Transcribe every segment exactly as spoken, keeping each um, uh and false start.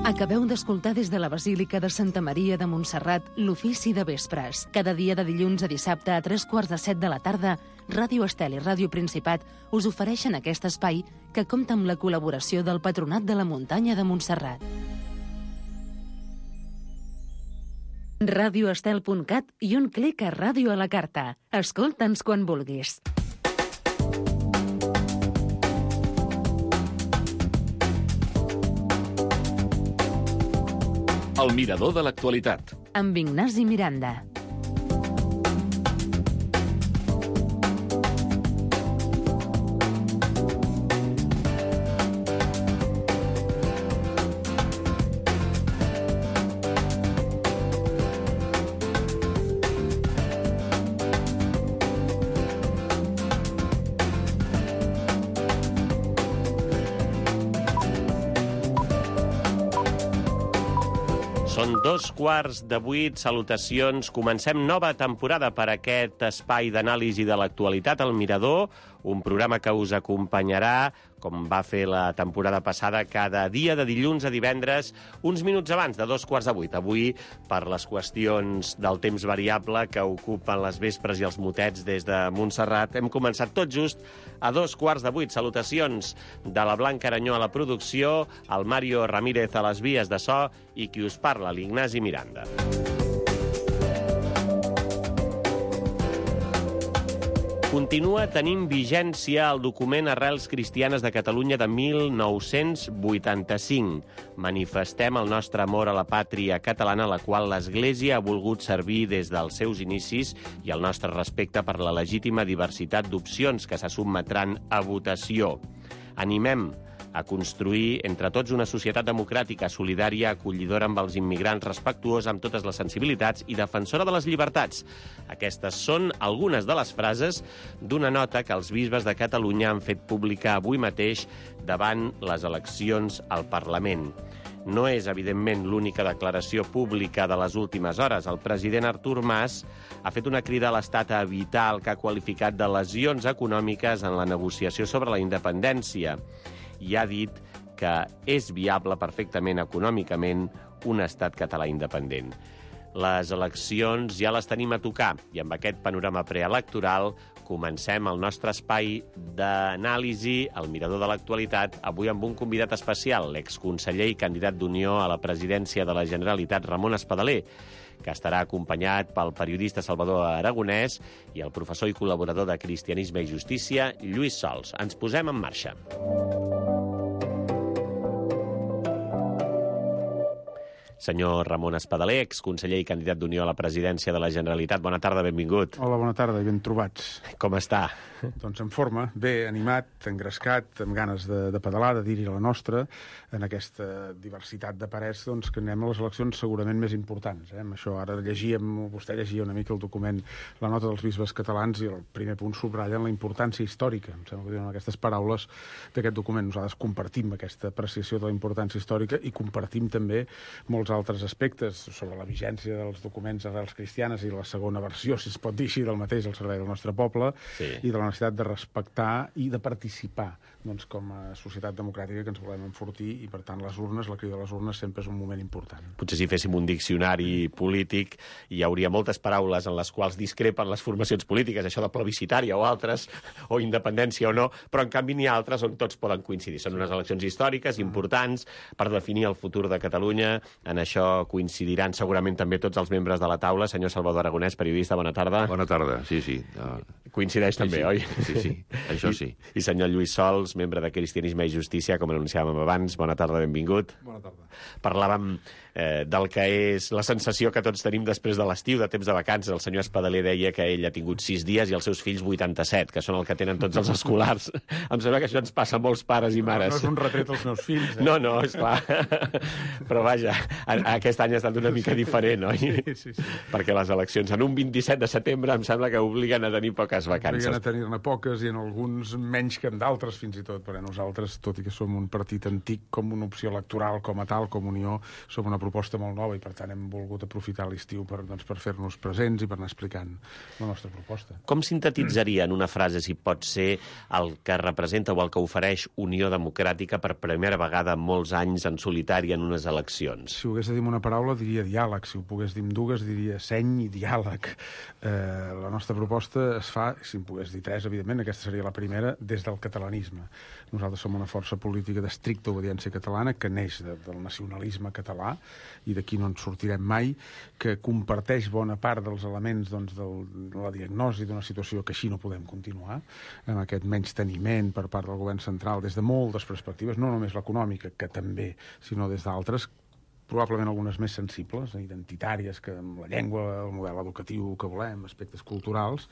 Acabeu d'escoltar des de la Basílica de Santa Maria de Montserrat l'ofici de vespres. Cada dia de dilluns a dissabte a tres quarts de set de la tarda, Ràdio Estel i Ràdio Principat us ofereixen aquest espai que compta amb la col·laboració del Patronat de la Muntanya de Montserrat. radioestel punt cat i un clic a Ràdio a la Carta. Escolta'ns quan vulguis. El mirador de l'actualitat. Amb Ignasi Miranda. Són dos quarts de vuit, salutacions. Comencem nova temporada per aquest espai d'anàlisi de l'actualitat, El Mirador, un programa que us acompanyarà, com va fer la temporada passada, cada dia de dilluns a divendres, uns minuts abans de dos quarts de vuit. Avui, per les qüestions del temps variable que ocupen les vespres i els motets des de Montserrat, hem començat tot just a dos quarts de vuit. Salutacions de la Blanca Aranyó a la producció, el Mario Ramírez a les vies de so i qui us parla, l'Ignasi Miranda. Continua tenint vigència el document Arrels Cristianes de Catalunya de mil nou-cents vuitanta-cinc. Manifestem el nostre amor a la pàtria catalana, a la qual l'Església ha volgut servir des dels seus inicis, i el nostre respecte per la legítima diversitat d'opcions que se sotmetran a votació. Animem a construir entre tots una societat democràtica, solidària, acollidora amb els immigrants, respectuosa amb totes les sensibilitats i defensora de les llibertats. Aquestes són algunes de les frases d'una nota que els bisbes de Catalunya han fet pública avui mateix davant les eleccions al Parlament. No és, evidentment, l'única declaració pública de les últimes hores. El president Artur Mas ha fet una crida a l'Estat a evitar el que ha qualificat de lesions econòmiques en la negociació sobre la independència, i ha dit que és viable perfectament econòmicament un estat català independent. Les eleccions ja les tenim a tocar i amb aquest panorama preelectoral comencem el nostre espai d'anàlisi, el mirador de l'actualitat, avui amb un convidat especial, l'exconseller i candidat d'Unió a la presidència de la Generalitat, Ramon Espadaler, que estarà acompanyat pel periodista Salvador Aragonès i el professor i col·laborador de Cristianisme i Justícia, Lluís Sols. Ens posem en marxa. Senyor Ramon Espadaler, exconseller i candidat d'Unió a la presidència de la Generalitat. Bona tarda, benvingut. Hola, bona tarda i ben trobats. Com està? Doncs en forma, bé, animat, engrescat, amb ganes de, de pedalar, de dir-hi la nostra, en aquesta diversitat de parers, doncs, que anem a les eleccions segurament més importants. Eh? Amb això ara llegíem, vostè llegia una mica el document, la nota dels bisbes catalans, i el primer punt subratllen la importància històrica. Em sembla que diuen aquestes paraules d'aquest document. Nosaltres compartim aquesta apreciació de la importància històrica i compartim també molts altres aspectes sobre la vigència dels documents Arrels Cristianes i la segona versió, si es pot dir així, del mateix al servei del nostre poble, sí, i de la necessitat de respectar i de participar, doncs, com a societat democràtica que ens volem enfortir, i per tant les urnes, la crida de les urnes sempre és un moment important. Potser si féssim un diccionari polític hi hauria moltes paraules en les quals discrepen les formacions polítiques, això de plebiscitària o altres, o independència o no, però en canvi n'hi ha altres on tots poden coincidir. Són unes eleccions històriques importants per definir el futur de Catalunya. En això coincidiran segurament també tots els membres de la taula. Senyor Salvador Aragonès, periodista, bona tarda. Bona tarda, sí, sí. Uh... Coincideix sí, també, sí. oi? Sí, sí, això sí. I, I senyor Lluís Sols, membre de Cristianisme i Justícia, com anunciàvem abans. Bona tarda, benvingut. Bona tarda. Parlàvem eh, del que és la sensació que tots tenim després de l'estiu, de temps de vacances. El senyor Espadaler deia que ell ha tingut sis dies i els seus fills vuitanta-set, que són el que tenen tots els escolars. Em sembla que això ens passa a molts pares i mares. No, no és un retret als meus fills. Eh? No, no, esclar. Però vaja, aquest any ha estat una mica diferent, oi? Sí, sí, sí. Perquè les eleccions en un vint-i-set de setembre em sembla que obliguen a tenir poques vacances. Obliguen a tenir-ne poques i en alguns menys que en d'altres, fins i tot, perquè nosaltres, tot i que som un partit antic com una opció electoral, com a tal, com Unió, som una proposta molt nova i, per tant, hem volgut aprofitar l'estiu per, doncs, per fer-nos presents i per anar explicant la nostra proposta. Com sintetitzaria en una frase, si pot ser, el que representa o el que ofereix Unió Democràtica per primera vegada en molts anys en solitari en unes eleccions? Si ho hagués de dir una paraula, diria diàleg. Si ho pogués dir amb dues, diria seny i diàleg. Eh, la nostra proposta es fa, si en pogués dir tres, evidentment, aquesta seria la primera, des del catalanisme. Nosaltres som una força política d'estricta obediència catalana que neix de, del nacionalisme català i d'aquí no ens sortirem mai, que comparteix bona part dels elements doncs, del, de la diagnosi d'una situació que així no podem continuar, amb aquest menysteniment per part del govern central des de moltes perspectives, no només l'econòmica, que també, sinó des d'altres, probablement algunes més sensibles, identitàries, que amb la llengua, el model educatiu que volem, aspectes culturals,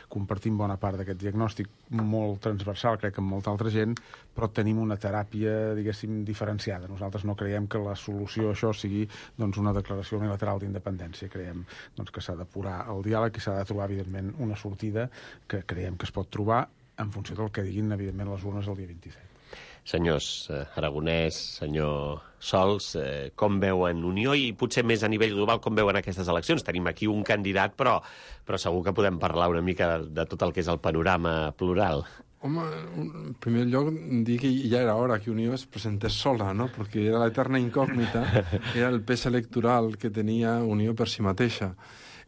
compartim bona part d'aquest diagnòstic molt transversal, crec que amb molta altra gent, però tenim una teràpia, diguéssim, diferenciada. Nosaltres no creiem que la solució a això sigui doncs, una declaració unilateral d'independència. Creiem doncs, que s'ha d'apurar el diàleg i s'ha de trobar, evidentment, una sortida que creiem que es pot trobar en funció del que diguin, evidentment, les urnes el dia vint-i-set. Senyors eh, Aragonès, senyor Sols, eh, com veuen Unió i potser més a nivell global com veuen aquestes eleccions? Tenim aquí un candidat, però, però segur que podem parlar una mica de, de tot el que és el panorama plural. Home, en primer lloc, dir que ja era hora que Unió es presentés sola, no? Perquè era l'eterna incògnita, era el pes electoral que tenia Unió per si mateixa.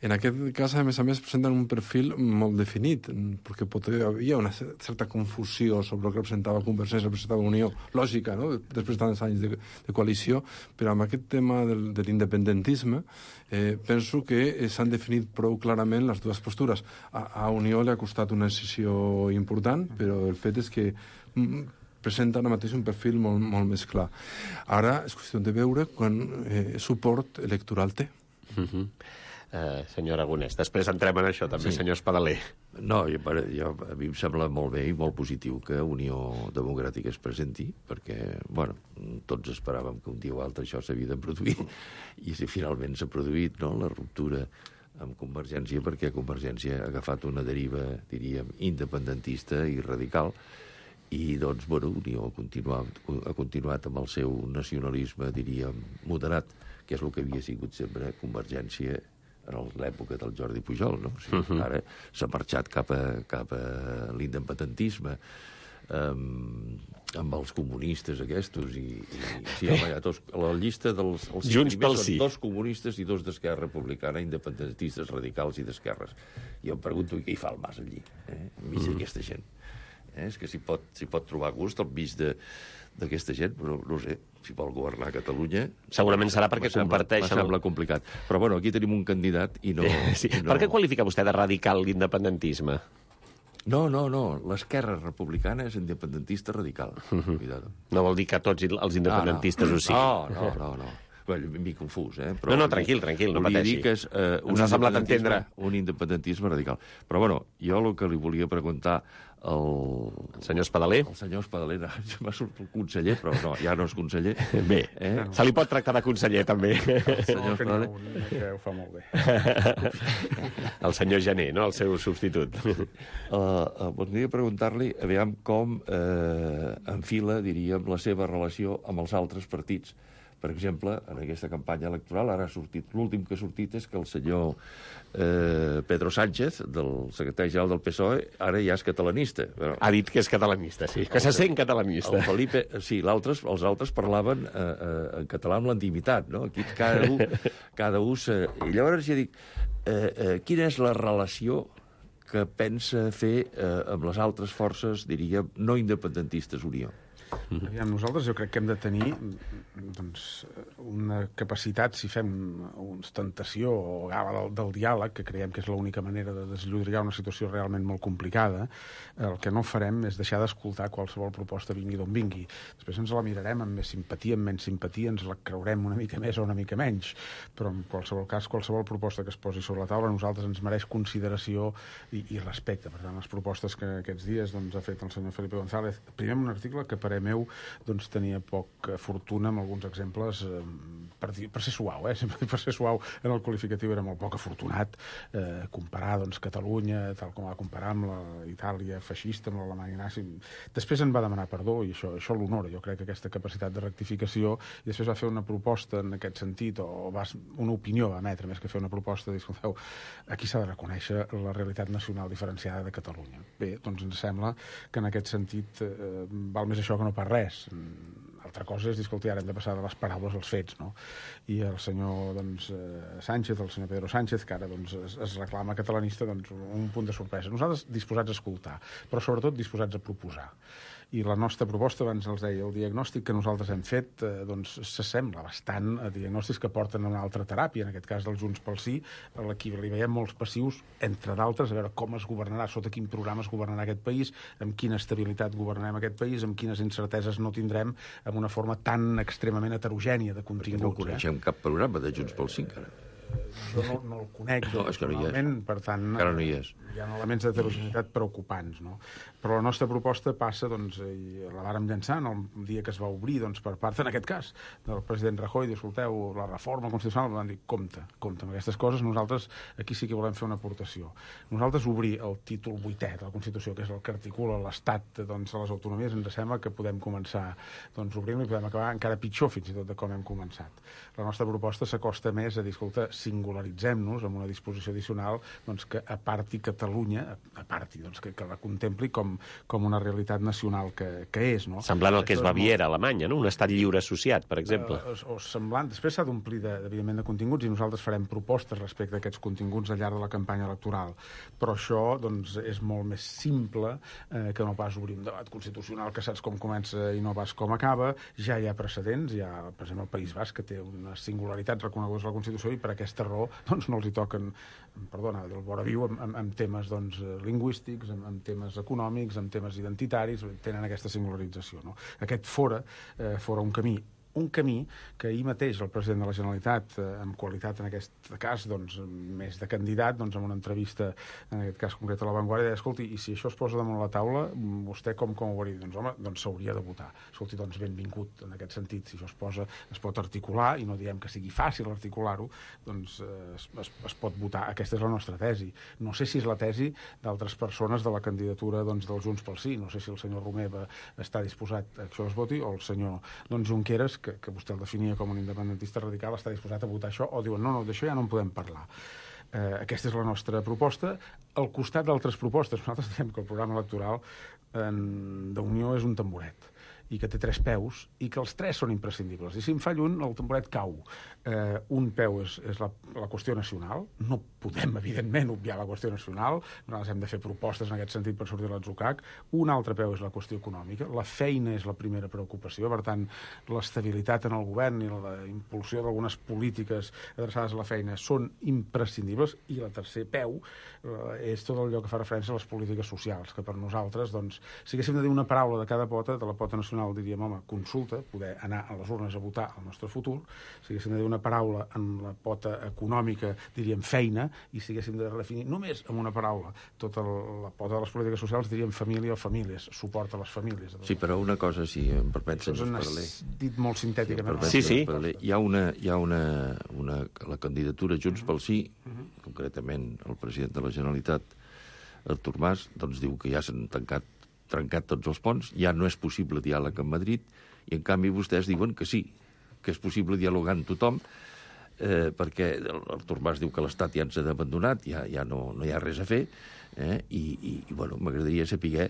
En aquest cas, a més a més, presenten un perfil molt definit, perquè pot, hi havia una certa confusió sobre el que representava Convergència, representava Unió, lògica, no?, després de tants anys de, de coalició, però amb aquest tema del, de l'independentisme eh, penso que s'han definit prou clarament les dues postures. A, a Unió li ha costat una decisió important, però el fet és que mm, presenta ara mateix un perfil molt, molt més clar. Ara és qüestió de veure quan eh, suport electoral té. Uh-huh. Uh, senyor Aragonès, després entrem en això també, sí. Senyor Espadaler. No, jo, jo, a mi em sembla molt bé i molt positiu que Unió Democràtica es presenti, perquè, bueno, tots esperàvem que un dia o altre això s'havia de produir, i si finalment s'ha produït, no?, la ruptura amb Convergència, perquè Convergència ha agafat una deriva, diríem, independentista i radical, i, doncs, bueno, Unió ha continuat, ha continuat amb el seu nacionalisme, diríem, moderat, que és el que havia sigut sempre Convergència en l'època del Jordi Pujol, no? O sigui, uh-huh. Ara s'ha marxat cap a, cap a l'independentisme, um, amb els comunistes aquests, i, i sí, home, hi ha dos, a la llista dels els Junts pel són sí. Dos comunistes i dos d'Esquerra Republicana, independentistes radicals i d'esquerres. I em pregunto què hi fa el Mas allí, eh? enmig uh-huh. d'aquesta gent. Eh? És que s'hi pot, s'hi pot trobar gust enmig de d'aquesta gent, però no, no sé, si vol governar Catalunya... Segurament serà perquè comparteix... Em sembla complicat. Però, bueno, aquí tenim un candidat i no... Sí. I no... Per què qualifica vostè de radical l'independentisme? No, no, no. L'esquerra republicana és independentista radical. Uh-huh. Cuidado. No vol dir que tots els independentistes ah, no. ho siguin. No, no, no, no. Bueno, m'he confús, eh? Però no, no, tranquil, tranquil, no pateixi. Dir que és, uh, Ens ha semblat entendre. Un independentisme radical. Però, bueno, jo el que li volia preguntar el... El senyor Espadaler? El senyor Espadaler, no, m'ha sortit el conseller, però no, ja no és conseller. Bé, eh? se li pot tractar de conseller, també. El senyor Espadaler. Que ho fa molt bé. El senyor Jané, no?, el seu substitut. Uh, uh, voldria preguntar-li, aviam com eh, enfila, diríem, la seva relació amb els altres partits. Per exemple, en aquesta campanya electoral, ara ha sortit, l'últim que ha sortit és que el senyor eh, Pedro Sánchez, del secretari general del P S O E, ara ja és catalanista. Bueno, ha dit que és catalanista, sí, que se sent catalanista. El Felipe, sí, altres, els altres parlaven eh, eh, en català amb l'intimitat, no? Aquí cada un... Cada un se... I llavors ja dic, eh, eh, quina és la relació que pensa fer eh, amb les altres forces, diríem, no independentistes Unió? Aviam, nosaltres jo crec que hem de tenir doncs, una capacitat, si fem una ostentació o gala del, del diàleg, que creiem que és l'única manera de desllodrigar una situació realment molt complicada, el que no farem és deixar d'escoltar qualsevol proposta vingui d'on vingui. Després ens la mirarem amb més simpatia, amb menys simpatia, ens la creurem una mica més o una mica menys, però en qualsevol cas, qualsevol proposta que es posi sobre la taula a nosaltres ens mereix consideració i, i respecte. Per tant, les propostes que aquests dies doncs, ha fet el senyor Felipe González, primer un article que apareix parer meu, doncs tenia poca fortuna amb alguns exemples, eh, per, dir, per ser suau, eh? Sempre per ser suau en el qualificatiu era molt poc afortunat, eh, comparar doncs, Catalunya, tal com va comparar amb la Itàlia feixista, amb l'Alemanya nazi. Després en va demanar perdó i això, això l'honora, jo crec que aquesta capacitat de rectificació, i després va fer una proposta en aquest sentit, o va, una opinió va emetre, més que fer una proposta, de dir, escolteu, aquí s'ha de reconèixer la realitat nacional diferenciada de Catalunya. Bé, doncs ens sembla que en aquest sentit eh, val més això que no pas res. Altra cosa és dir, escolta, ara hem de passar de les paraules als fets, no? I el senyor doncs, eh, Sánchez, el senyor Pedro Sánchez, que ara doncs, es, es reclama catalanista, doncs, un punt de sorpresa. Nosaltres disposats a escoltar, però sobretot disposats a proposar. I la nostra proposta, abans els deia, el diagnòstic que nosaltres hem fet eh, doncs s'assembla bastant a diagnòstics que porten a una altra teràpia, en aquest cas del Junts pel Sí, a qui li veiem molts passius, entre d'altres, a veure com es governarà, sota quin programa es governarà aquest país, amb quina estabilitat governarem aquest país, amb quines incerteses no tindrem, amb una forma tan extremament heterogènia de continguts. Perquè no coneixem eh? cap programa de Junts pel Sí, encara. Jo no, no el conec, no, és que no hi és. Per tant, encara no hi és. Hi ha elements d'heterogeneïtat preocupants, no? Però la nostra proposta passa, doncs, i la vàrem llançar en el dia que es va obrir, doncs, per part, en aquest cas, del president Rajoy, diu, escolteu, la reforma constitucional, van dir, compte, compte amb aquestes coses, nosaltres aquí sí que volem fer una aportació. Nosaltres obrir el títol vuitè de la Constitució, que és el que articula l'Estat, doncs, a les autonomies, ens sembla que podem començar, doncs, obrint-lo i podem acabar encara pitjor, fins i tot, de com hem començat. La nostra proposta s'acosta més a dir, escolta, singularitzem-nos amb una disposició addicional, doncs, que aparti Catalunya, aparti, doncs, que, que la contempli com, com una realitat nacional que, que és, no? Semblant al que és Baviera, molt... Alemanya, no? Un estat lliure associat, per exemple. Uh, o, o semblant. Després s'ha d'omplir, de, evidentment, de continguts, i nosaltres farem propostes respecte a aquests continguts al llarg de la campanya electoral. Però això, doncs, és molt més simple eh, que no pas obrir un debat constitucional que saps com comença i no pas com acaba. Ja hi ha precedents, hi ha, per exemple, el País Basc, que té una singularitat reconeguda a la Constitució, i per aquesta raó doncs, no els hi toquen, perdona, del vora viu, amb, amb, amb temes doncs, lingüístics, amb, amb temes econòmics, amb temes identitaris, tenen aquesta singularització. No? Aquest fora, eh, fora un camí un camí que ahir mateix el president de la Generalitat, eh, amb qualitat en aquest cas, doncs, més de candidat, doncs, en una entrevista, en aquest cas concret a La Vanguardia, deia, escolti, i si això es posa damunt la taula, vostè com, com ho hauria? Doncs, home, doncs s'hauria de votar. Escolti, doncs, benvingut en aquest sentit. Si això es posa, es pot articular, i no diem que sigui fàcil articular-ho, doncs eh, es, es, es pot votar. Aquesta és la nostra tesi. No sé si és la tesi d'altres persones de la candidatura doncs, dels Junts pel Sí. No sé si el senyor Romeva està disposat a que això es voti, o el senyor doncs, Junqueras, que, que vostè el definia com un independentista radical, està disposat a votar això, o diuen, no, no, d'això ja no en podem parlar. Eh, aquesta és la nostra proposta. Al costat d'altres propostes, nosaltres diem que el programa electoral eh, d'Unió és un tamboret, i que té tres peus, i que els tres són imprescindibles. I si en falla un, el tamboret cau. Eh, un peu és, és la, la qüestió nacional. No podem, evidentment, obviar la qüestió nacional. Nosaltres hem de fer propostes en aquest sentit per sortir de l'atzucac. Un altre peu és la qüestió econòmica. La feina és la primera preocupació. Per tant, l'estabilitat en el govern i la impulsió d'algunes polítiques adreçades a la feina són imprescindibles. I el tercer peu eh, és tot allò que fa referència a les polítiques socials, que per nosaltres, doncs, si haguéssim de dir una paraula de cada pota, de la pota nacional diríem, home, consulta, poder anar a les urnes a votar el nostre futur. Si haguéssim de dir una paraula en la pota econòmica, diríem feina, i si haguéssim de redefinir només amb una paraula tota la pota de les polítiques socials, diríem família o famílies, suport a les famílies. Sí, però una cosa, si em permet, senyor Espadaler. Dit molt sintèticament. Sí, sí. Hi ha una, hi ha una, una la candidatura Junts pel Sí, uh-huh. concretament el president de la Generalitat, Artur Mas, doncs diu que ja s'han tancat trencat tots els ponts, ja no és possible diàleg amb Madrid, i en canvi vostès diuen que sí, que és possible dialogar amb tothom, eh, perquè Artur Mas diu que l'Estat ja ens ha abandonat, ja, ja no, no hi ha res a fer, eh, i, i, i bueno, m'agradaria saber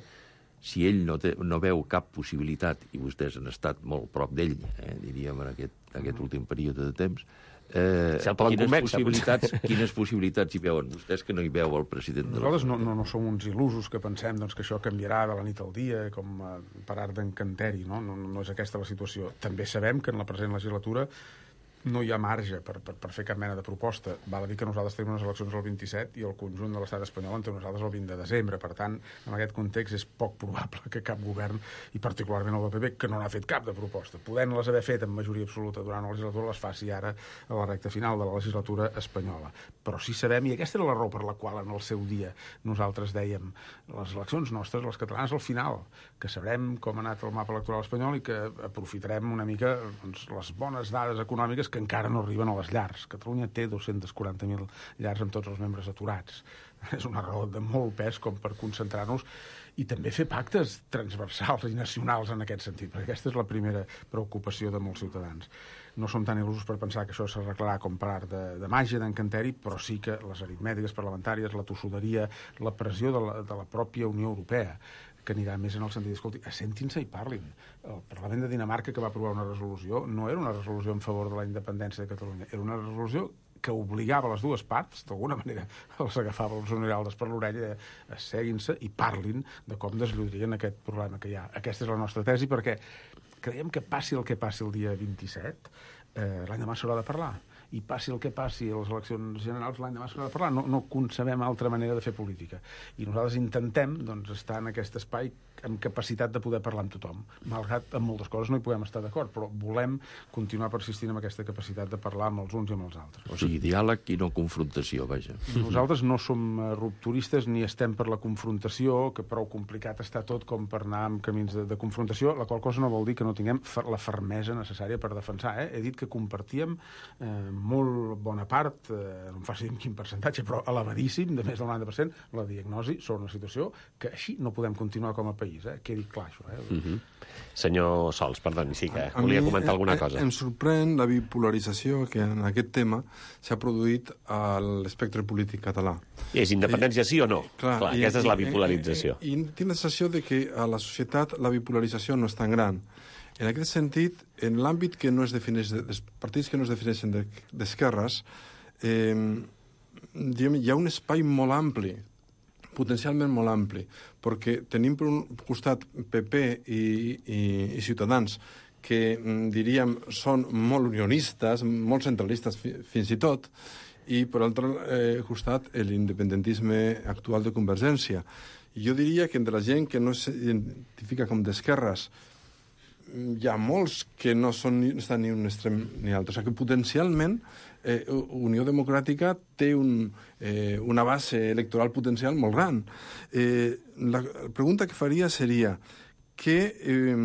si ell no, té, no veu cap possibilitat, i vostès han estat molt prop d'ell, eh, diríem, en aquest, en aquest últim període de temps, Eh, si quines, convèncer, possibilitats, quines possibilitats hi veuen vostès que no hi veu el president de la Nosaltres no, no, no som uns il·lusos que pensem doncs, que això canviarà de la nit al dia com uh, per art d'encanteri, no? No, no és aquesta la situació. També sabem que en la present legislatura no hi ha marge per, per, per fer cap mena de proposta. Val a dir que nosaltres tenim unes eleccions el vint-i-set i el conjunt de l'estat espanyol en té unes altres el vint de desembre. Per tant, en aquest context és poc probable que cap govern, i particularment el del P P, que no n'ha fet cap de proposta, podent-les haver fet amb majoria absoluta durant la legislatura, les faci ara a la recta final de la legislatura espanyola. Però sí sabem, i aquesta era la raó per la qual en el seu dia nosaltres dèiem les eleccions nostres, les catalanes, al final, que sabrem com ha anat el mapa electoral espanyol i que aprofitarem una mica doncs, les bones dades econòmiques que encara no arriben a les llars. Catalunya té dos-cents quaranta mil llars amb tots els membres aturats. És una raó de molt pes com per concentrar-nos i també fer pactes transversals i nacionals en aquest sentit, perquè aquesta és la primera preocupació de molts ciutadans. No som tan il·lusos per pensar que això s'arreglarà com per art de, de màgia, d'encanteri, però sí que les aritmètiques parlamentàries, la tossuderia, la pressió de la, de la pròpia Unió Europea, que anirà més en el sentit, escolti, assentin-se i parlin. El Parlament de Dinamarca, que va aprovar una resolució, no era una resolució en favor de la independència de Catalunya, era una resolució que obligava les dues parts, d'alguna manera els agafava els Oniraldes per l'orella, de seguin-se i parlin de com desllodrien aquest problema que hi ha. Aquesta és la nostra tesi, perquè creiem que passi el que passi el dia vint-i-set, eh, l'any demà s'haurà de parlar. I passi el que passi a les eleccions generals, l'any demà s'haurà de parlar. No, no concebem altra manera de fer política. I nosaltres intentem doncs, estar en aquest espai amb capacitat de poder parlar amb tothom. Malgrat amb moltes coses no hi podem estar d'acord, però volem continuar persistint amb aquesta capacitat de parlar amb els uns i amb els altres. O sigui, diàleg i no confrontació, vaja. Nosaltres no som rupturistes ni estem per la confrontació, que prou complicat està tot com per anar en camins de, de confrontació, la qual cosa no vol dir que no tinguem la fermesa necessària per defensar. Eh? He dit que compartíem eh, molt bona part, eh, no em faci dir en quin percentatge, però elevadíssim, de més del noranta per cent, la diagnosi sobre una situació que així no podem continuar com a país. Eh? Quedi clar, això. Eh? Uh -huh. Senyor Sols, perdoni, sí que a volia mi, comentar alguna eh, cosa. Em sorprèn la bipolarització que en aquest tema s'ha produït a l'espectre polític català. És independència sí o no? Clar, clar i, aquesta és la i, bipolarització. I, i, i tinc la sensació de que a la societat la bipolarització no és tan gran. En aquest sentit, en l'àmbit que no es defineix, dels partits que no es defineixen d'esquerres, eh, hi ha un espai molt ampli, potencialment molt ampli, perquè tenim per un costat P P i, i, i Ciutadans que, diríem, són molt unionistes, molt centralistes fi, fins i tot, i per l'altre eh, costat l'independentisme actual de Convergència. I jo diria que entre la gent que no s'identifica com d'esquerres hi ha molts que no són ni, estan ni un extrem ni l'altre. O sigui que potencialment eh, Unió Democràtica té un, eh, una base electoral potencial molt gran. Eh, la pregunta que faria seria què, eh,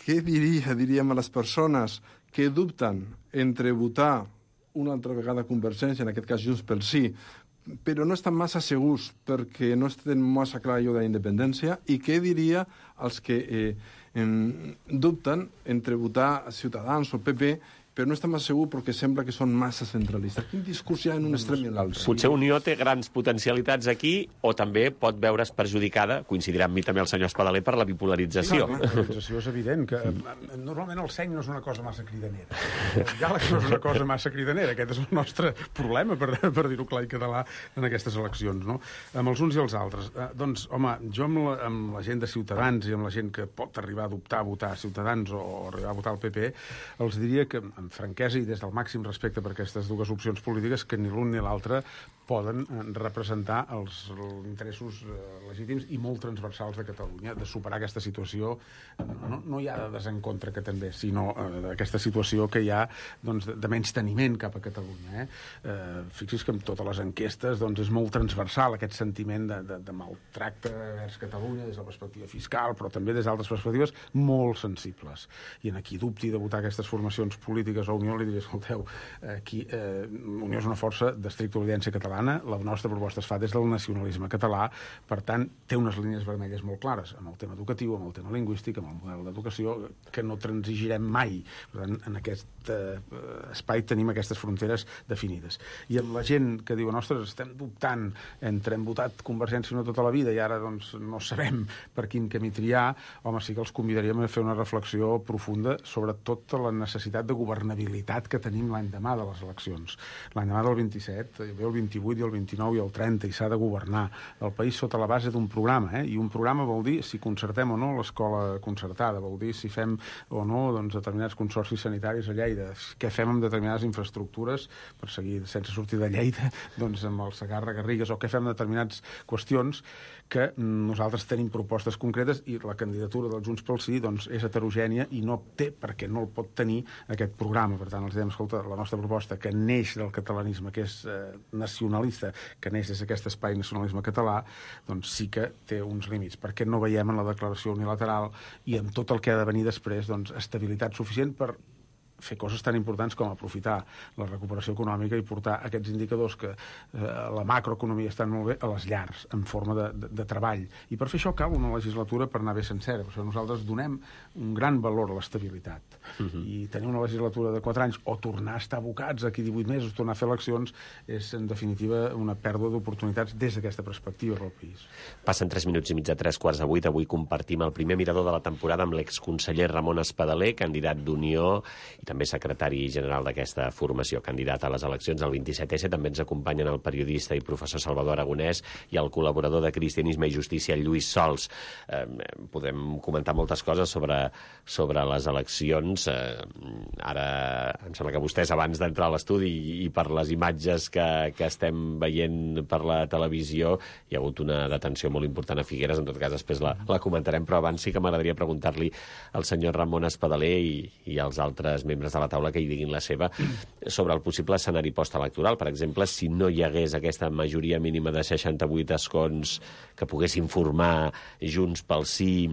què diria, diríem, a les persones que dubten entre votar una altra vegada Convergència, en aquest cas Junts pel Sí, però no estan massa segurs perquè no estan massa clar allò de la independència, i què diria als que eh, en, dubten entre votar Ciutadans o P P però no està massa segur perquè sembla que són massa centralistes. Quin discurs hi ha en un extrem i en l'altre? Potser Unió té grans potencialitats aquí, o també pot veure's perjudicada, coincidirà amb mi també el senyor Espadaler, per la bipolarització. Sí, la bipolarització és evident, que normalment el seny no és una cosa massa cridanera. El diàleg no és una cosa massa cridanera. Aquest és el nostre problema, per, per dir-ho clar i català, en aquestes eleccions, no? Amb els uns i els altres. Eh, doncs, home, jo amb la, amb la gent de Ciutadans i amb la gent que pot arribar a dubtar a votar Ciutadans o, o arribar a votar el P P, els diria que amb franquesa i des del màxim respecte per aquestes dues opcions polítiques, que ni l'un ni l'altre poden representar els interessos legítims i molt transversals de Catalunya, de superar aquesta situació, no, no ja de desencontre que també, sinó eh, aquesta situació que hi ha doncs, de, de menys teniment cap a Catalunya. Eh? Eh, fixi's que en totes les enquestes doncs, és molt transversal aquest sentiment de, de, de maltracte vers Catalunya des de la perspectiva fiscal, però també des d'altres perspectives molt sensibles. I en aquí dubti de votar aquestes formacions polítiques o Unió, li diria, escolteu, aquí eh, Unió és una força d'estricta obediència catalana, la nostra proposta es fa des del nacionalisme català, per tant, té unes línies vermelles molt clares, amb el tema educatiu, amb el tema lingüístic, amb el model d'educació, que no transigirem mai. Per tant, en aquest eh, espai tenim aquestes fronteres definides. I amb la gent que diuen, ostres, estem dubtant entre hem votat Convergència no tota la vida i ara doncs, no sabem per quin camí triar, home, sí que els convidaríem a fer una reflexió profunda sobre tota la necessitat de governabilitat que tenim l'any demà de les eleccions. L'any demà del vint-i-set, bé el vint-i-vuit, vint-i-vuit i el vint-i-nou i el trenta, i s'ha de governar el país sota la base d'un programa, eh? I un programa vol dir si concertem o no l'escola concertada, vol dir si fem o no doncs, determinats consorcis sanitaris a Lleida, què fem amb determinades infraestructures, per seguir sense sortir de Lleida, doncs amb el Segarra-Garrigues, o què fem amb determinades qüestions que nosaltres tenim propostes concretes i la candidatura del Junts pel Sí doncs, és heterogènia i no té, perquè no el pot tenir aquest programa. Per tant, els diem, escolta, la nostra proposta que neix del catalanisme, que és eh, nacionalista, que neix des d'aquest espai nacionalisme català, doncs sí que té uns límits, perquè no veiem en la declaració unilateral i en tot el que ha de venir després doncs, estabilitat suficient per fer coses tan importants com aprofitar la recuperació econòmica i portar aquests indicadors que eh, la macroeconomia estan molt bé a les llars, en forma de, de, de treball. I per fer això cal una legislatura per anar bé sencera. Per això nosaltres donem un gran valor a l'estabilitat. Uh-huh. I tenir una legislatura de quatre anys o tornar a estar abocats aquí divuit mesos, tornar a fer eleccions, és en definitiva una pèrdua d'oportunitats des d'aquesta perspectiva pel país. Passen tres minuts i mig de tres quarts de vuit. Avui compartim el primer mirador de la temporada amb l'exconseller Ramon Espadaler, candidat d'Unió i també secretari general d'aquesta formació, candidat a les eleccions del vint-i-set essa. També ens acompanyen el periodista i professor Salvador Aragonès i el col·laborador de Cristianisme i Justícia, Lluís Sols. Eh, podem comentar moltes coses sobre, sobre les eleccions. Eh, ara, em sembla que vostès, abans d'entrar a l'estudi i, i per les imatges que, que estem veient per la televisió, hi ha hagut una detenció molt important a Figueres. En tot cas, després la, la comentarem, però abans sí que m'agradaria preguntar-li al senyor Ramon Espadaler i, i als altres membres de la taula que hi diguin la seva sobre el possible escenari postelectoral. Per exemple, si no hi hagués aquesta majoria mínima de seixanta-vuit escons que poguessin formar Junts pel Sí,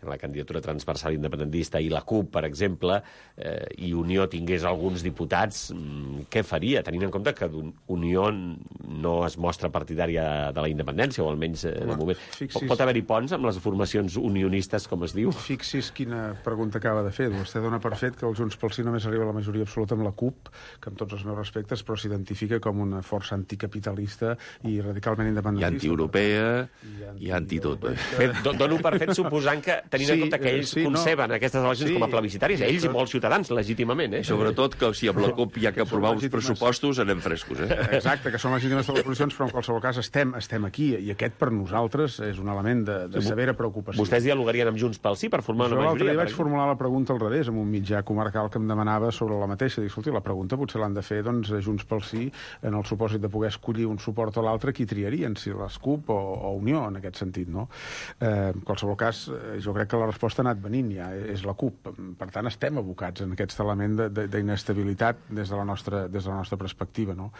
la candidatura transversal independentista, i la CUP, per exemple, eh, i Unió tingués alguns diputats, mm, què faria? Tenint en compte que Unió no es mostra partidària de la independència, o almenys eh, de moment. Fixis... Pot haver-hi ponts amb les formacions unionistes, com es diu? Fixis quina pregunta acaba de fer. Vostè dona per fet que el Junts pel Sí només arriba a la majoria absoluta amb la CUP, que amb tots els meus respectes, però s'identifica com una força anticapitalista i radicalment independentista. I antieuropea, i, i anti-tot. Eh? Dono per fet suposant que tenint sí, en compte que ells sí, conceben no. aquestes eleccions sí, com a plebiscitàries, ells i molts ciutadans, legítimament. Eh? Sobretot que si amb la CUP hi ha que aprovar uns pressupostos, anem frescos. Eh? Exacte, que són legítimes de les posicions, però en qualsevol cas estem, estem aquí, i aquest per nosaltres és un element de, de severa preocupació. Vostès dialogarien amb Junts pel Sí per formar una majoria? L'altre dia vaig formular la pregunta al revés, amb un mitjà comarcal que em demanava sobre la mateixa. Dic, escolti, la pregunta potser l'han de fer doncs, Junts pel Sí, en el supòsit de poder escollir un suport o l'altre, qui triarien, si les CUP o, o Unió, en aquest sentit, no? Eh, en qualsevol cas, jo crec que la resposta ha anat venint, ja és la CUP. Per tant, estem abocats en aquest element d'inestabilitat des de la nostra, des de la nostra perspectiva. No?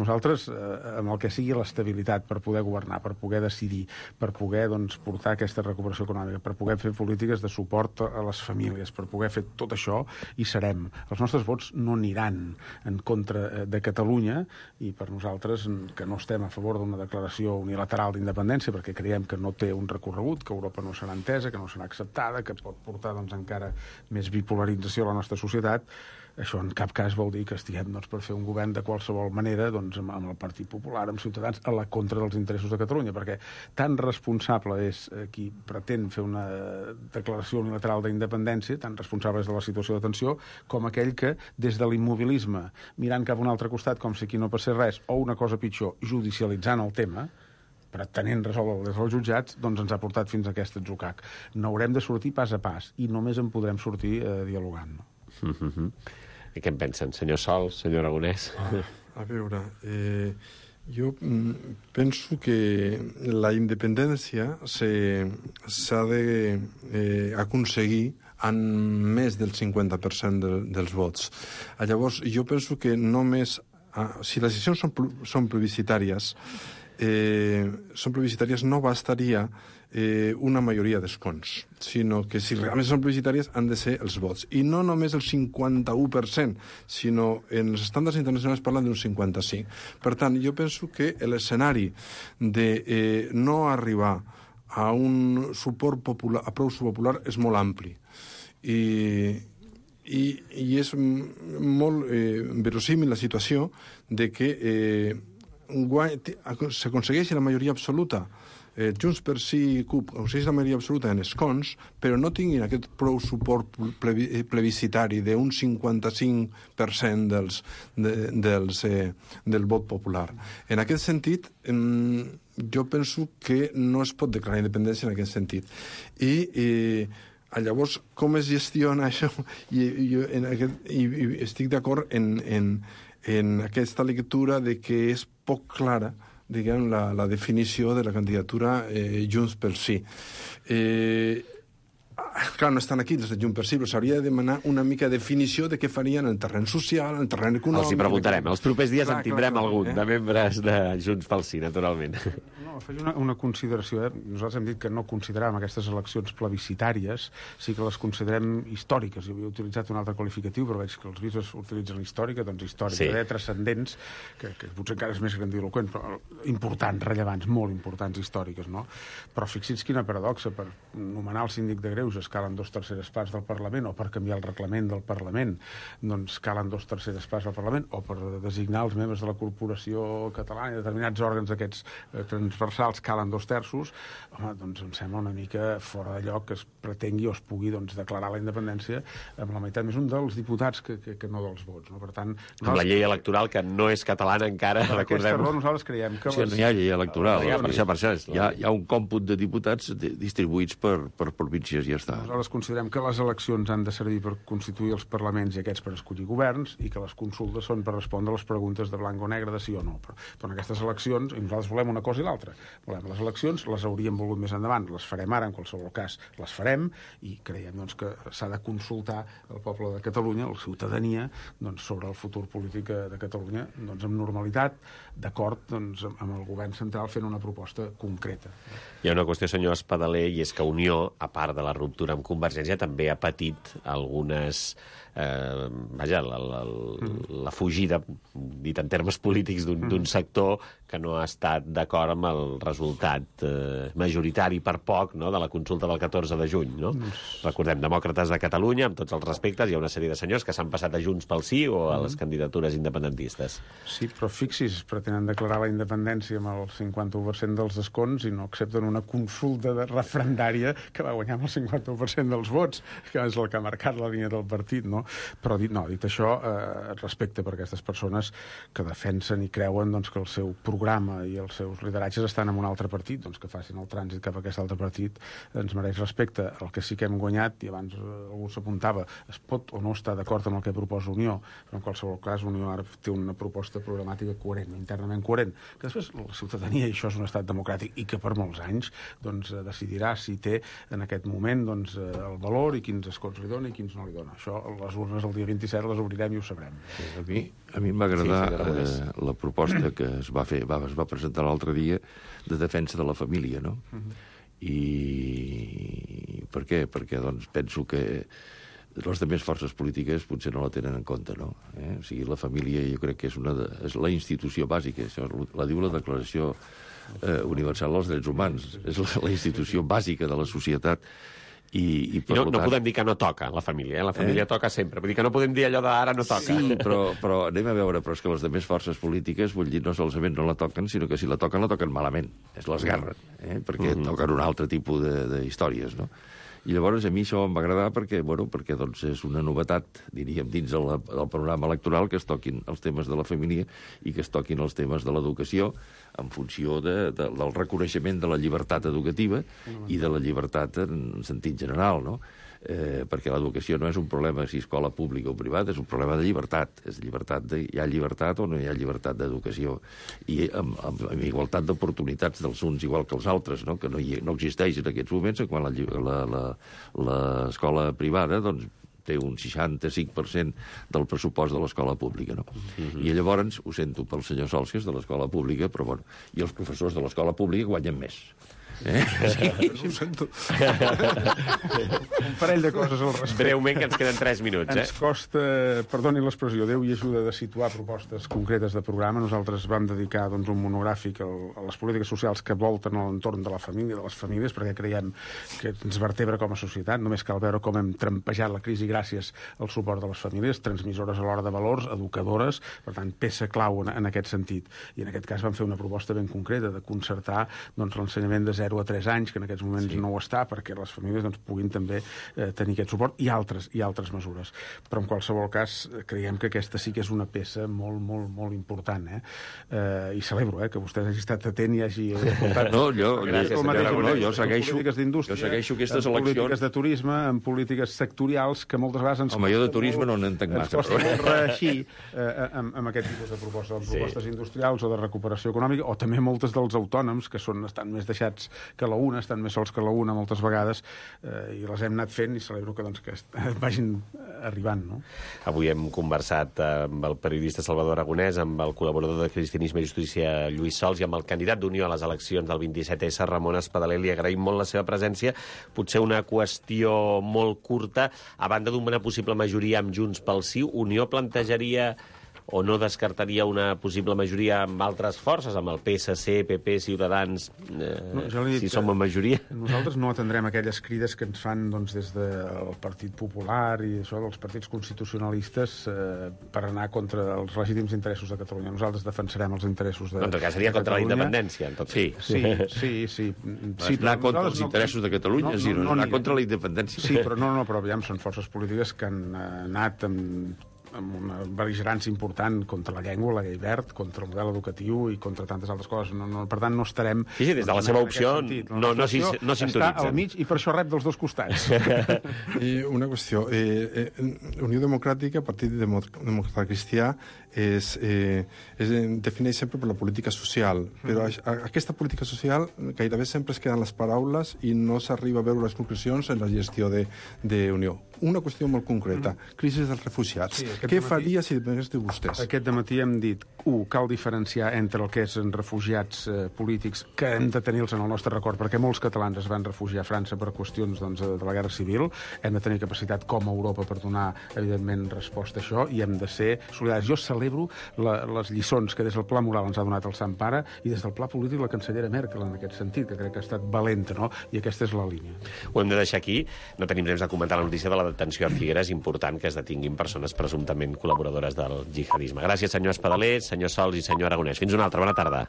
Nosaltres, eh, amb el que sigui l'estabilitat per poder governar, per poder decidir, per poder doncs, portar aquesta recuperació econòmica, per poder fer polítiques de suport a les famílies, per poder fer tot això, hi serem. Els nostres vots no aniran en contra de Catalunya, i per nosaltres, que no estem a favor d'una declaració unilateral d'independència, perquè creiem que no té un recorregut, que Europa no serà entesa, que no serà acceptada, que pot portar doncs, encara més bipolarització a la nostra societat, això en cap cas vol dir que estiguem doncs, per fer un govern de qualsevol manera doncs, amb, amb el Partit Popular, amb Ciutadans, a la contra dels interessos de Catalunya, perquè tan responsable és eh, qui pretén fer una declaració unilateral d'independència, tan responsable és de la situació de tensió, com aquell que, des de l'immobilisme, mirant cap a un altre costat, com si aquí no passés res, o una cosa pitjor, judicialitzant el tema, pretenent resoldre des dels jutjats, doncs ens ha portat fins a aquest atzucac. N'haurem de sortir pas a pas, i només en podrem sortir eh, dialogant. No? Mm-hmm. I què en pensen, senyor Sol, senyor Aragonès? Ah, a veure, eh, jo penso que la independència s'ha d'aconseguir eh, amb més del cinquanta per cent de, dels vots. Llavors, jo penso que només, ah, si les decisions són, són plebiscitàries, Eh, són plebiscitàries, no bastaria eh, una majoria d'escons, sinó que si realment són plebiscitàries han de ser els vots. I no només el cinquanta-u per cent, sinó en els estàndards internacionals parlen d'un cinquanta-cinc per cent. Per tant, jo penso que l'escenari de eh, no arribar a un suport popular, a prou popular, és molt ampli. I, i, i és molt eh, verosímil la situació de que eh, s'aconsegueixi la majoria absoluta eh, Junts per Sí, CUP, aconsegueixin la majoria absoluta en escons, però no tinguin aquest prou suport plebi plebiscitari d'un cinquanta-cinc per cent dels, de, dels, eh, del vot popular. En aquest sentit, eh, jo penso que no es pot declarar independència en aquest sentit. I... Eh, llavors, com es gestiona això? I, i, en aquest, i, i estic d'acord en, en, en aquesta lectura de que és poc clara, diguem, la, la definició de la candidatura eh, Junts pel Sí. Eh, clar, no estan aquí els de Junts per Sí, però s'hauria de demanar una mica de definició de què farien en el terreny social, en el terreny econòmic... Els hi preguntarem. Els propers dies clar, en tindrem clar, clar, algun, eh? de membres de Junts pel Sí, naturalment. No, faig una, una consideració. Eh? Nosaltres hem dit que no consideràvem aquestes eleccions plebiscitàries, sí que les considerem històriques. Jo havia utilitzat un altre qualificatiu, però veig que els bisbes utilitzen històrica, doncs històrica, sí. eh? Transcendents, que, que potser encara és més grandiloquent, però importants, rellevants, molt importants, històriques, no? Però fixi's quina paradoxa, per nomenar el síndic de Greuges calen dos terceres parts del Parlament, o per canviar el reglament del Parlament doncs calen dos terceres parts del Parlament, o per designar els membres de la Corporació Catalana i determinats òrgans aquests eh, transversals calen dos terços. Home, doncs em sembla una mica fora de lloc que es pretengui o es pugui doncs, declarar la independència amb la meitat més un dels diputats que, que, que no dels vots. No? Per tant, nosaltres... Amb la llei electoral, que no és catalana encara, recordem-ho. Nosaltres creiem que... Sí, no hi ha llei electoral. Ja, per això, per això és... Hi ha, hi ha un còmput de diputats distribuïts per, per províncies i ja està. Nosaltres considerem que les eleccions han de servir per constituir els parlaments i aquests per escollir governs i que les consultes són per respondre a les preguntes de blanc o negre, de sí o no. Però, però en aquestes eleccions, i nosaltres volem una cosa i l'altra. Volem les eleccions, les hauríem volgut més endavant, les farem ara, en qualsevol cas les farem, i creiem doncs, que s'ha de consultar el poble de Catalunya, la ciutadania, doncs, sobre el futur polític de Catalunya doncs, amb normalitat, d'acord doncs, amb el govern central fent una proposta concreta. Hi ha una qüestió, senyor Espadaler, i és que Unió, a part de la ruptura amb Convergència, també ha patit algunes... Eh, vaja, la, la, la fugida, dit en termes polítics, d'un sector que no ha estat d'acord amb el resultat eh, majoritari per poc, no?, de la consulta del catorze de juny, no? Recordem, Demòcrates de Catalunya, amb tots els respectes, hi ha una sèrie de senyors que s'han passat a Junts pel Sí o a les candidatures independentistes. Sí, però fixis, pretenen declarar la independència amb el cinquanta-u per cent dels escons i no accepten una consulta de referendària que va guanyar amb el cinquanta-u per cent dels vots, que és el que ha marcat la línia del partit, no? Però dit, no, dit això, eh, respecte per aquestes persones que defensen i creuen doncs, que el seu programa i els seus lideratges estan en un altre partit, doncs que facin el trànsit cap a aquest altre partit ens mereix respecte. El que sí que hem guanyat, i abans eh, algú s'apuntava, es pot o no estar d'acord amb el que proposa Unió, però en qualsevol cas Unió ara té una proposta programàtica coherent, internament coherent, que després la ciutadania, i això és un estat democràtic, i que per molts anys doncs, decidirà si té en aquest moment doncs, el valor i quins escons li dona i quins no li dona. Això, les urnes el dia vint-i-set les obrirem i ho sabrem. A mi, a mi em va agradar sí, eh, la proposta que es va fer, va, es va presentar l'altre dia de defensa de la família, no? Uh-huh. I per què? Perquè doncs, penso que les altres forces polítiques potser no la tenen en compte, no? Eh? O sigui, la família jo crec que és, una de, és la institució bàsica, això la diu la Declaració eh, Universal dels Drets Humans, és la, la institució bàsica de la societat. I, i, I no, no tant... podem dir que no toca, la família. Eh? La família eh? toca sempre. Vull dir que no podem dir allò d'ara no toca. Sí, però, però anem a veure, però és que les altres forces polítiques, vull dir, no solament no la toquen, sinó que si la toquen, la toquen malament. Es l'esgarren, eh? perquè uh -huh. toquen un altre tipus d'històries, no? I llavors a mi això em va agradar perquè, bueno, perquè doncs, és una novetat, diríem, dins del, del panorama electoral que es toquin els temes de la família i que es toquin els temes de l'educació en funció de, de, del reconeixement de la llibertat educativa i de la llibertat en sentit general, no? Eh, perquè l'educació no és un problema si escola pública o privada, és un problema de llibertat. És llibertat de, hi ha llibertat o no hi ha llibertat d'educació. I amb, amb, amb igualtat d'oportunitats dels uns igual que els altres, no? Que no, hi, no existeix en aquests moments, quan l'escola privada doncs, té un seixanta-cinc per cent del pressupost de l'escola pública, no? Uh-huh. I llavors, ho sento pel senyor Sols, que és de l'escola pública, però bueno, i els professors de l'escola pública guanyen més. Eh? Sí. Ho sento. Un parell de coses al respecte. Breument, que ens queden tres minuts, eh? Ens costa, perdoni l'expressió, Déu i ajuda de situar propostes concretes de programa. Nosaltres vam dedicar doncs, un monogràfic al, a les polítiques socials que volten a l'entorn de la família, de les famílies, perquè creiem que ens vertebra com a societat. Només cal veure com hem trampejat la crisi gràcies al suport de les famílies, transmissores a l'hora de valors, educadores, per tant, peça clau en, en aquest sentit. I en aquest cas vam fer una proposta ben concreta de concertar doncs, l'ensenyament de zero a tres anys, que en aquests moments sí. no ho està, perquè les famílies doncs, puguin també eh, tenir aquest suport, i altres, i altres mesures. Però en qualsevol cas creiem que aquesta sí que és una peça molt, molt, molt important. Eh? Eh, I celebro eh, que vostè hagi estat atent i hagi aportat... No, jo, gràcies, senyor Aragonès, jo en segueixo, polítiques d'indústria, jo segueixo aquestes en eleccions... polítiques de turisme, en polítiques sectorials, que moltes vegades ens... Home, jo de turisme no n'entenc massa. Ens costa molt reeixir eh, amb, amb aquest tipus de propostes, amb propostes sí. industrials o de recuperació econòmica, o també moltes dels autònoms, que són, estan més deixats que la una, estan més sols que la una moltes vegades, eh, i les hem anat fent, i celebro que, doncs, que vagin arribant. No? Avui hem conversat amb el periodista Salvador Aragonès, amb el col·laborador de Cristianisme i Justícia Lluís Sols i amb el candidat d'Unió a les eleccions del vint-i-set essa, Ramon Espadaler. Li agraïm molt la seva presència. Potser una qüestió molt curta. A banda d'una possible majoria amb Junts pel Sí, Unió plantejaria o no descartaria una possible majoria amb altres forces, amb el P S C, P P, Ciutadans, eh, no, si som en majoria? Nosaltres no atendrem aquelles crides que ens fan doncs, des del Partit Popular i això dels partits constitucionalistes eh, per anar contra els legítims interessos de Catalunya. Nosaltres defensarem els interessos de, en tot cas seria contra Catalunya. La independència, en tot sí, sí, sí, sí, sí anar contra els interessos no, de Catalunya, no, no, no, no anar contra la independència. Sí, però no, no, però aviam, són forces polítiques que han anat amb amb una bel·ligerància important contra la llengua, la llei verd, contra el model educatiu i contra tantes altres coses. No, no, per tant, no estarem... Sí, sí, des de la seva opció no, no, si, no sintonitzen. Està al mig i per això rep dels dos costats. I una qüestió. Eh, eh, Unió Democràtica, Partit Democràtic Cristià, es, eh, es defineix sempre per la política social, però mm. a, aquesta política social gairebé sempre es queden les paraules i no s'arriba a veure les conclusions en la gestió d'Unió. Una qüestió molt concreta, mm. crisi dels refugiats. Sí, què dematí, faria si depengués de vostès? Aquest dematí hem dit, u, cal diferenciar entre el que és en refugiats eh, polítics, que hem de tenir-los en el nostre record, perquè molts catalans es van refugiar a França per qüestions doncs, de la guerra civil. Hem de tenir capacitat com a Europa per donar, evidentment, resposta a això, i hem de ser solidaris. Jo celebro la, les lliçons que des del pla moral ens ha donat el Sant Pare i des del pla polític la cancellera Merkel en aquest sentit, que crec que ha estat valenta, no? I aquesta és la línia. Ho hem de deixar aquí. No tenim temps de comentar la notícia de la detenció a Figueres. Important que es detinguin persones presumptament col·laboradores del jihadisme. Gràcies, senyor Espadaler, senyor Sols i senyor Aragonès. Fins una altra. Bona tarda.